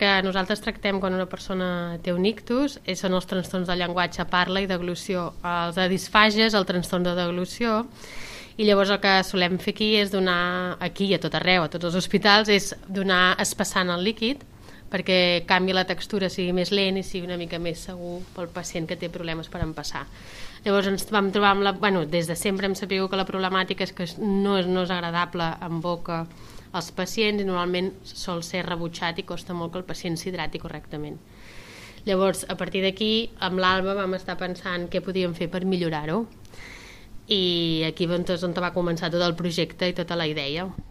que nosaltres tractem quan una persona té un ictus són els trastorns del llenguatge, parla i deglució. Els de disfàgies, el trastorn de deglució, i llavors el que solem fer aquí és donar, aquí i a tot arreu, a tots els hospitals, és donar espassant el líquid perquè canvi la textura, sigui més lent i sigui una mica més segur pel pacient que té problemes per empassar. Llavors ens vam trobar amb des de sempre hem sabut que la problemàtica és que no és agradable en boca als pacients i normalment sol ser rebutjat i costa molt que el pacient s'hidrati correctament. Llavors, a partir d'aquí, amb l'Alba vam estar pensant què podíem fer per millorar-ho i aquí és on va començar tot el projecte i tota la idea.